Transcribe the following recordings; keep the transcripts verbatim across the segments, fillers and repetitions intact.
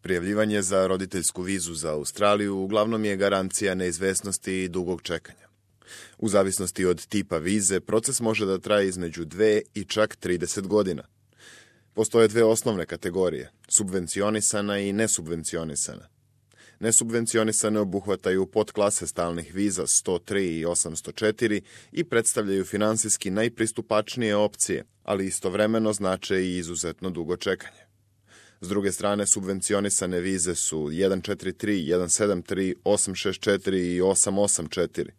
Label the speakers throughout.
Speaker 1: Prijavljivanje za roditeljsku vizu za Australiju uglavnom je garancija neizvesnosti i dugog čekanja. U zavisnosti od tipa vize, proces može da traje između dve i čak trideset godina. Postoje dve osnovne kategorije, subvencionisana i nesubvencionisana. Nesubvencionisane obuhvataju podklase stalnih viza sto tri i osamsto četiri i predstavljaju finansijski najpristupačnije opcije, ali istovremeno znače i izuzetno dugo čekanje. S druge strane, subvencionisane vize su jedan četiri tri, jedan sedam tri, osam šest četiri i osam osam četiri.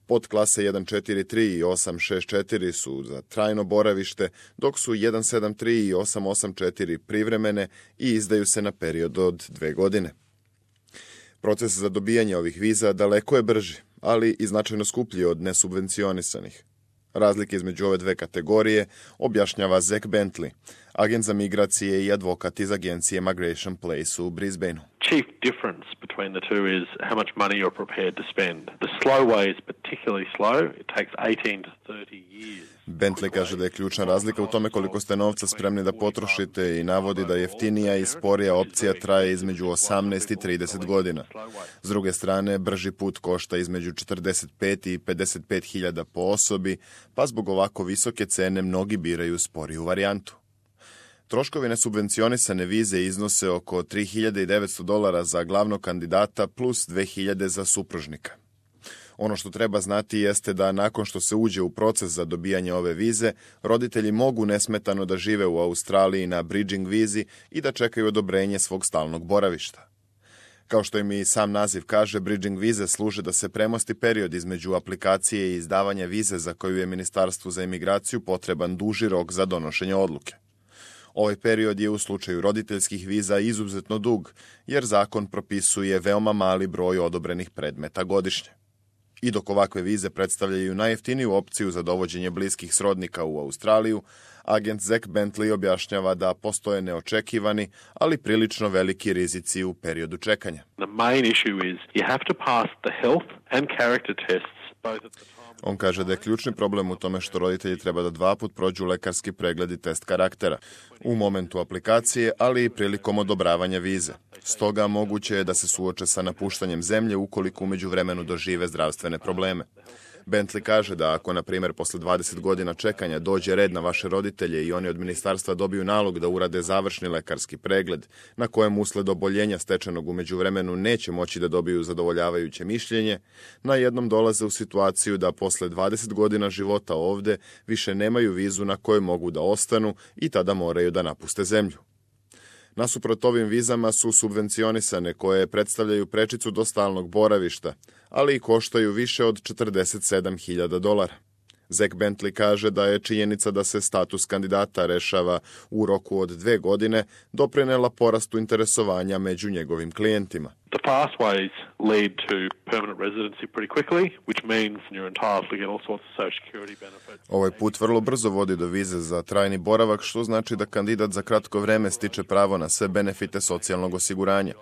Speaker 1: Podklase jedan četiri tri i osam šest četiri su za trajno boravište, dok su jedan sedam tri i osam osam četiri privremene i izdaju se na period od dve godine. Proces za dobijanje ovih viza daleko je brži, ali i značajno skuplji od nesubvencionisanih. Razlike između ove dve kategorije objašnjava Zach Bentley, agent za migracije i advokat iz agencije Migration Place u Brisbaneu.
Speaker 2: Chief difference between the two is how much money you're prepared to spend. The slow way is particularly slow. It takes eighteen to thirty years.
Speaker 1: Bentley kaže da je ključna razlika u tome koliko ste novca spremni da potrošite i navodi da jeftinija i sporija opcija traje između osamnaest i trideset godina. S druge strane, brži put košta između četrdeset pet i pedeset pet hiljada po osobi, pa zbog ovako visoke cene mnogi biraju sporiju varijantu. Troškovi nesubvencionisane vize iznose oko tri hiljade devetsto dolara za glavnog kandidata plus dve hiljade za supružnika. Ono što treba znati jeste da nakon što se uđe u proces za dobijanje ove vize, roditelji mogu nesmetano da žive u Australiji na bridging vizi i da čekaju odobrenje svog stalnog boravišta. Kao što im i sam naziv kaže, bridging vize služe da se premosti period između aplikacije i izdavanja vize za koju je Ministarstvu za imigraciju potreban duži rok za donošenje odluke. Ovaj period je u slučaju roditeljskih viza izuzetno dug, jer zakon propisuje veoma mali broj odobrenih predmeta godišnje. I dok ovakve vize predstavljaju najjeftiniju opciju za dovođenje bliskih srodnika u Australiju, agent Zach Bentley objašnjava da postoje neočekivani, ali prilično veliki rizici u periodu čekanja.
Speaker 2: The main issue is you have to pass the health and character tests both at the time.
Speaker 1: On kaže da je ključni problem u tome što roditelji treba da dva put prođu lekarski pregled i test karaktera, u momentu aplikacije, ali i prilikom odobravanja vize. Stoga moguće je da se suoče sa napuštanjem zemlje ukoliko umeđu vremenu dožive zdravstvene probleme. Bentley kaže da ako, na primjer, posle dvadeset godina čekanja dođe red na vaše roditelje i oni od ministarstva dobiju nalog da urade završni lekarski pregled, na kojem usled oboljenja stečenog umeđu vremenu neće moći da dobiju zadovoljavajuće mišljenje, na jednom dolaze u situaciju da posle dvadeset godina života ovde više nemaju vizu na kojoj mogu da ostanu i tada moraju da napuste zemlju. Nasuprot ovim vizama su subvencionisane koje predstavljaju prečicu do stalnog boravišta, ali i koštaju više od četrdeset sedam hiljada dolara. Zach Bentley kaže da je činjenica da se status kandidata rešava u roku od dve godine doprinela porastu interesovanja među njegovim klijentima.
Speaker 2: The pathways lead to permanent residency pretty quickly, which means you're entitled to get all sorts of social security benefits.
Speaker 1: Ovaj put vrlo brzo vodi do vize za trajni boravak, što znači da kandidat za kratko vreme stiče pravo na sve benefite socijalnog osiguranja.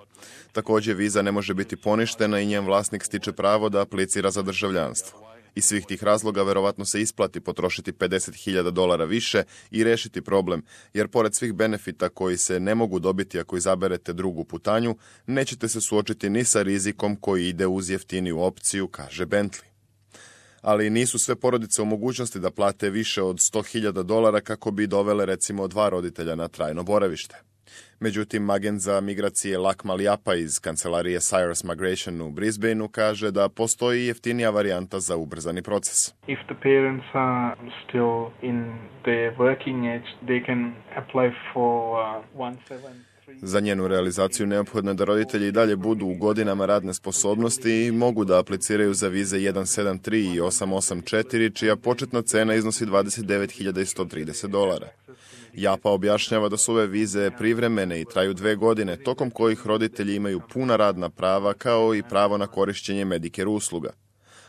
Speaker 1: Takođe, viza ne može biti poništena i njen vlasnik stiče pravo da aplicira za državljanstvo. Iz svih tih razloga verovatno se isplati potrošiti pedeset hiljada dolara više i rešiti problem, jer pored svih benefita koji se ne mogu dobiti ako izaberete drugu putanju, nećete se suočiti ni sa rizikom koji ide uz jeftiniju opciju, kaže Bentley. Ali nisu sve porodice u mogućnosti da plate više od sto hiljada dolara kako bi dovele recimo dva roditelja na trajno boravište. Međutim, agent za migracije Lakmal Japa iz kancelarije Cyrus Migration u Brisbaneu kaže da postoji jeftinija varijanta za ubrzani proces.
Speaker 3: If the parents are still in the working age, they can apply for uh, one seven three.
Speaker 1: Za njenu realizaciju neophodno je da roditelji i dalje budu u godinama radne sposobnosti i mogu da apliciraju za vize jedan sedam tri i osam osam četiri, čija početna cena iznosi dvadeset devet hiljada sto trideset dolara. Japa objašnjava da su ove vize privremene i traju dve godine, tokom kojih roditelji imaju puna radna prava kao i pravo na korišćenje Medicare usluga.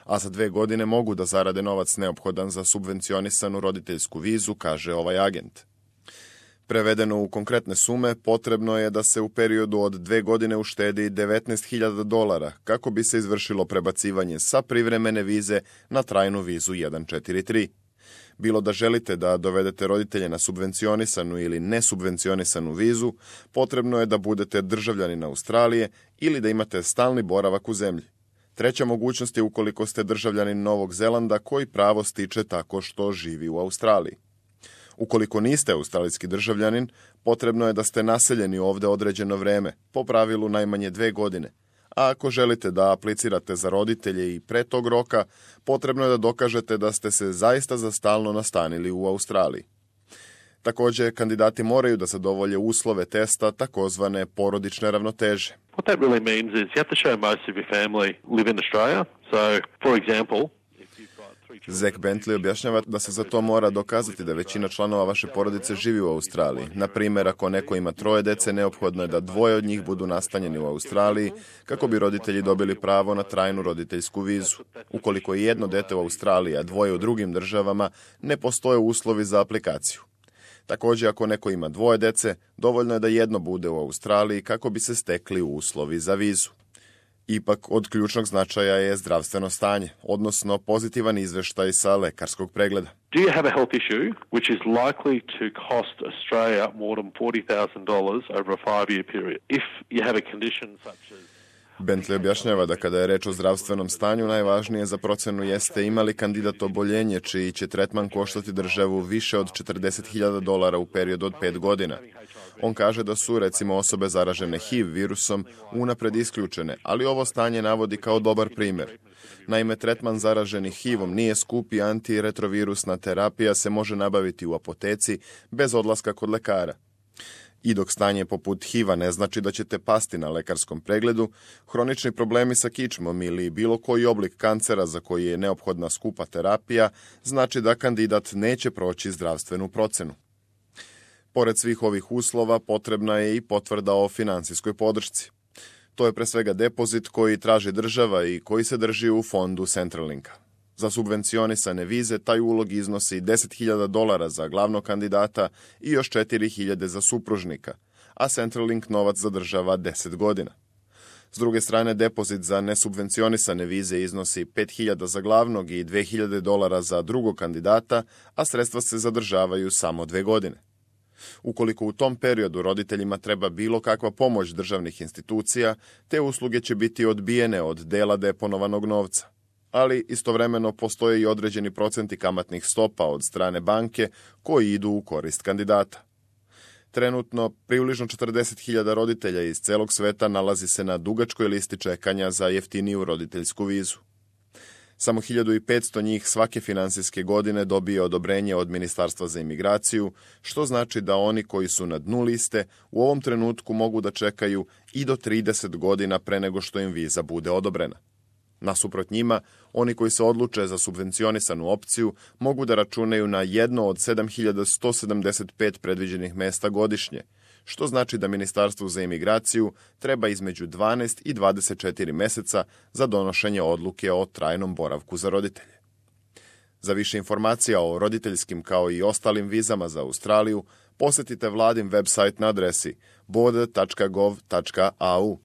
Speaker 1: A za dve godine mogu da zarade novac neophodan za subvencionisanu roditeljsku vizu, kaže ovaj agent. Prevedeno u konkretne sume, potrebno je da se u periodu od dve godine uštedi devetnaest hiljada dolara kako bi se izvršilo prebacivanje sa privremene vize na trajnu vizu jedan četiri tri. Bilo da želite da dovedete roditelje na subvencionisanu ili nesubvencionisanu vizu, potrebno je da budete državljanin Australije ili da imate stalni boravak u zemlji. Treća mogućnost je ukoliko ste državljanin Novog Zelanda koji pravo stiče tako što živi u Australiji. Ukoliko niste australijski državljanin, potrebno je da ste naseljeni ovdje određeno vreme, po pravilu najmanje dve godine. A ako želite da aplicirate za roditelje i pre tog roka, potrebno je da dokažete da ste se zaista za stalno nastanili u Australiji. Također, kandidati moraju da zadovolje uslove testa takozvane porodične ravnoteže.
Speaker 2: What that really means is you have to show most of your family live in Australia. So, for example,
Speaker 1: Zach Bentley objašnjava da se za to mora dokazati da većina članova vaše porodice živi u Australiji. Na primjer, ako neko ima troje dece, neophodno je da dvoje od njih budu nastanjeni u Australiji kako bi roditelji dobili pravo na trajnu roditeljsku vizu. Ukoliko je jedno dete u Australiji, a dvoje u drugim državama, ne postoje uslovi za aplikaciju. Također, ako neko ima dvoje dece, dovoljno je da jedno bude u Australiji kako bi se stekli uslovi za vizu. Ipak, od ključnog značaja je zdravstveno stanje, odnosno pozitivan izveštaj sa lekarskog pregleda.
Speaker 2: Do you have a health issue which is likely to cost Australia more than forty thousand dollars over a five-year period? If you have a condition such as
Speaker 1: Bentley objašnjava da kada je reč o zdravstvenom stanju, najvažnije za procenu jeste ima li kandidat oboljenje čiji će tretman koštati državu više od četrdeset hiljada dolara u periodu od pet godina. On kaže da su, recimo, osobe zaražene H I V virusom unapred isključene, ali ovo stanje navodi kao dobar primjer. Naime, tretman zaraženih H I V-om nije skup i antiretrovirusna terapija se može nabaviti u apoteci bez odlaska kod lekara. I dok stanje poput H I V-a ne znači da ćete pasti na lekarskom pregledu, hronični problemi sa kičmom ili bilo koji oblik kancera za koji je neophodna skupa terapija znači da kandidat neće proći zdravstvenu procenu. Pored svih ovih uslova, potrebna je i potvrda o financijskoj podršci. To je pre svega depozit koji traži država i koji se drži u fondu Centralinka. Za subvencionisane vize taj ulog iznosi deset hiljada dolara za glavnog kandidata i još četiri hiljade za supružnika, a Centralink novac zadržava deset godina. S druge strane, depozit za nesubvencionisane vize iznosi pet hiljada za glavnog i dve hiljade dolara za drugog kandidata, a sredstva se zadržavaju samo dve godine. Ukoliko u tom periodu roditeljima treba bilo kakva pomoć državnih institucija, te usluge će biti odbijene od dela deponovanog novca. Ali istovremeno postoje i određeni procenti kamatnih stopa od strane banke koji idu u korist kandidata. Trenutno, približno četrdeset hiljada roditelja iz celog sveta nalazi se na dugačkoj listi čekanja za jeftiniju roditeljsku vizu. Samo hiljadu petsto njih svake finansijske godine dobije odobrenje od Ministarstva za imigraciju, što znači da oni koji su na dnu liste u ovom trenutku mogu da čekaju i do trideset godina pre nego što im viza bude odobrena. Nasuprot njima, oni koji se odluče za subvencionisanu opciju mogu da računaju na jedno od sedam hiljada sto sedamdeset pet predviđenih mesta godišnje, što znači da Ministarstvu za imigraciju treba između dvanaest i dvadeset četiri meseca za donošenje odluke o trajnom boravku za roditelje. Za više informacija o roditeljskim kao i ostalim vizama za Australiju, posjetite vladin website na adresi border tačka gov tačka a u.